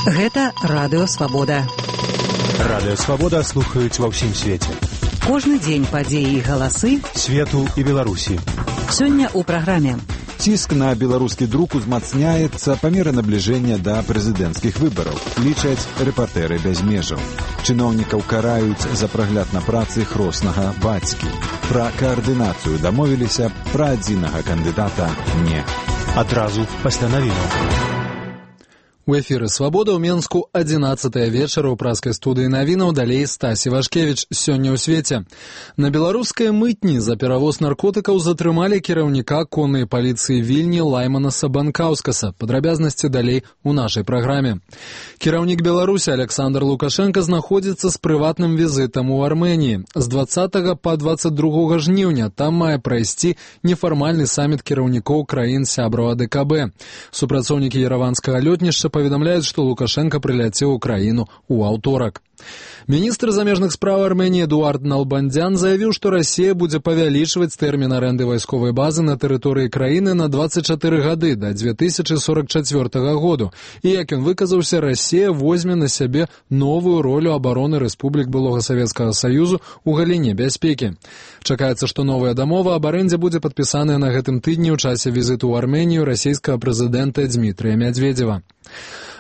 Гэта Радыё Свабода. Радыё Свабода слухаюць ва ўсім свеце. Кожны дзень падзеі і галасы свету і Беларусі. Сёння ў праграме. Ціск на беларускі друк узмацняецца па меры набліжэння да прэзідэнцкіх выбараў, лічаць рэпартэры без межаў. Чыноўнікаў караюць за прагляд на працы хроснага бацькі. Пра каардынацыю дамовіліся, пра адзінага кандыдата не. Адразу пасля навінаў. У эфіры «Свабода» ў Менску 11-е вечара ў праскай студыі навінаў, далей Стась Івашкевіч. Сёння ў свеце. На беларускай мытні за перавоз наркотыкаў затрымалі кіраўніка коннай паліцыі Вільні Лайманаса Банкаўскаса. Падрабязнасці далей у нашай праграме. Кіраўнік Беларусі Александр Лукашенко знаходзіцца з прыватным візітам у Арменіі. З 20 па 22 жніўня там мае прайсці нефармальны саміт кіраўнікоў краін сябраў АДКБ. Супрацоўнікі ерэванскага лётнішча паведамляюць, што Лукашенко прыляцеў у краіну ў аўторак. Міністр замежных спраў Арменіі Эдуард Налбандзян заявіў, што Расія будзе павялічваць тэрмін арэнды вайсковай базы на тэрыторыі краіны на 24 гады да 2044 году. І, як ён выказаўся, Расія возьме на сябе новую ролю абароны рэспублік былога Савецкага Саюзу ў галіне бяспекі. Чакаецца, што новая дамова аб арэндзе будзе падпісаная на гэтым тыдні ў часе візіту ў Арменію расійскага прэзідэнта Дмітрыя Мядзведзева.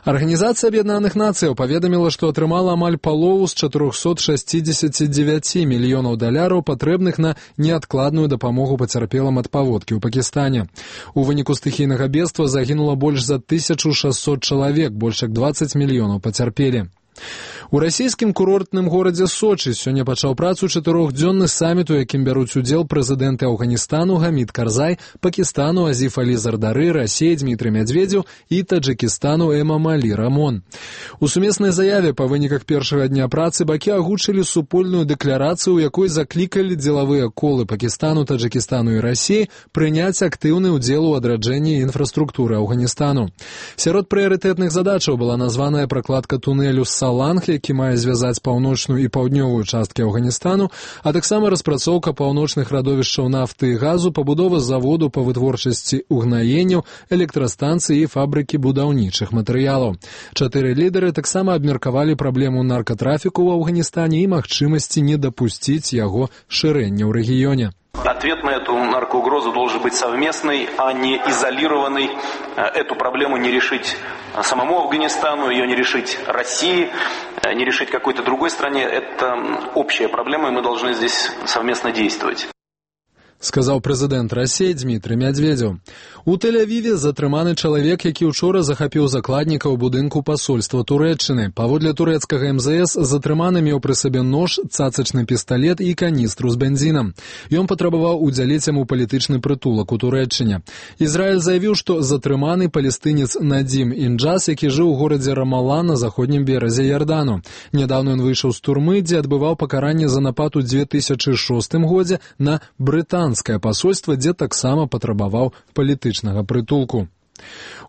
Арганізацыя Аб'яднаных Нацыяў паведаміла, што атрымала амаль палову з 469 мільёнаў даляраў, патрэбных на неадкладную дапамогу пацярпелым ад паводкі ў Пакістане. У выніку стыхійнага бедства загінула больш за 1600 чалавек, больш як 20 мільёнаў пацярпелі. У расійскім курортным горадзе Сочы сёння пачаў працу 4-дзённы саміт, у якім бяруць удзел прэзідэнты Афганістану Гамід Карзай, Пакістану Азіф Алі Зардары, Расіі Дмітрый Мядзведзеў і Таджыкістану Эмамалі Рамон. У сумеснай заяве па выніках першага дня працы бакі агучылі супольную дэкларацыю, у якой заклікалі дзелавыя колы Пакістану, Таджыкістану і Расіі прыняць актыўны ўдзел у адраджэнні інфраструктуры Афганістану. Сярод прыярытэтных задачаў была названая пракладка тунэлю Саланг, які мае звязаць паўночную і паўднёвую часткі Афганістану, а таксама распрацоўка паўночных радовішчаў нафты і газу, пабудова заводу па вытворчасці угнаенняў, электрастанцыі і фабрыкі будаўнічых матэрыялаў. 4 лідары таксама абмеркавалі праблему наркатрафіку ў Афганістане і магчымасці не дапусціць яго шырэння ў рэгіёне. Ответ на эту наркоугрозу должен быть совместный, а не изолированный. Эту проблему не решить самому Афганистану, ее не решить России, не решить какой-то другой стране. Это общая проблема, и мы должны здесь совместно действовать. Сказаў прэзідэнт Расіі Дмітрый Мядзведзеў. У Тель-Авіве затрыманы чалавек, які учора захапіў закладніка ў будынку пасольства Турэччыны. Паводле турэцкага МЗС затрыманы меў пры сабе нож, цацачны пісталет і каністру з бензінам. Ён патрабаваў удзяліць яму палітычны прытулак у Турэччыне. Ізраіль заявіў, што затрыманы палестынец Надзім Інджас, які жыў у горадзе Рамала на заходнім беразе Ярдану. Нядаўна ён выйшаў з турмы, дзе адбываў пакаранне за напад у 2006 годзе на брытанскае пасольства, дзе таксама патрабаваў палітычнага прытулку.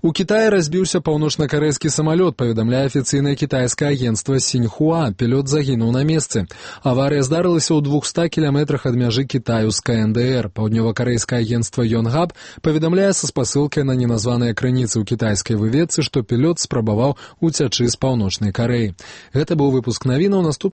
У Кітаі разбіўся паўночна-карэйскі самалёт, паведамляе афіцыйнае кітайскае агенцтва Сіньхуа. Пілот загінуў на месцы. Аварыя здарылася ў 200 кіламетрах ад мяжы Кітаю з КНДР. Паўднёва-карэйскае агенцтва Йонгап паведамляе са спасылкай на неназваныя крыніцы ў кітайскай выведцы, што пілот спрабаваў уцячы з паўночнай Карэі. Гэта быў выпуск навінаў.